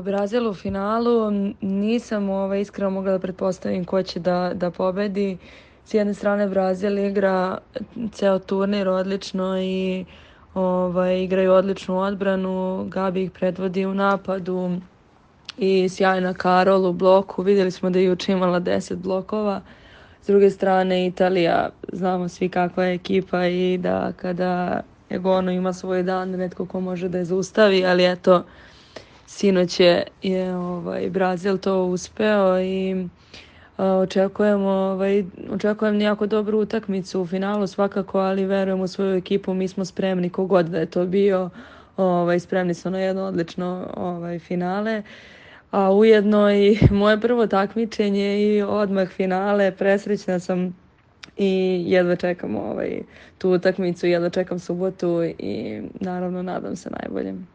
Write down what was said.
Brazil u finalu nisam iskreno mogla da pretpostavim ko će da pobedi. S jedne strane Brazil igra ceo turnir odlično i igraju odličnu odbranu. Gabi ih predvodi u napadu i sjajna Karol u bloku. Vidjeli smo da je juče imala 10 blokova. S druge strane Italija, znamo svi kakva je ekipa i da kada Egono ima svoj dan, netko ko može da je zaustavi, ali eto, sinoć je Brazil to uspeo i očekujem jako dobru utakmicu u finalu svakako, ali verujem u svoju ekipu, mi smo spremni kogod da je to bio, spremni smo na jedno odlično finale. A ujedno i moje prvo takmičenje i odmah finale, presrećna sam i jedva čekam tu utakmicu, jedva čekam subotu i naravno nadam se najboljem.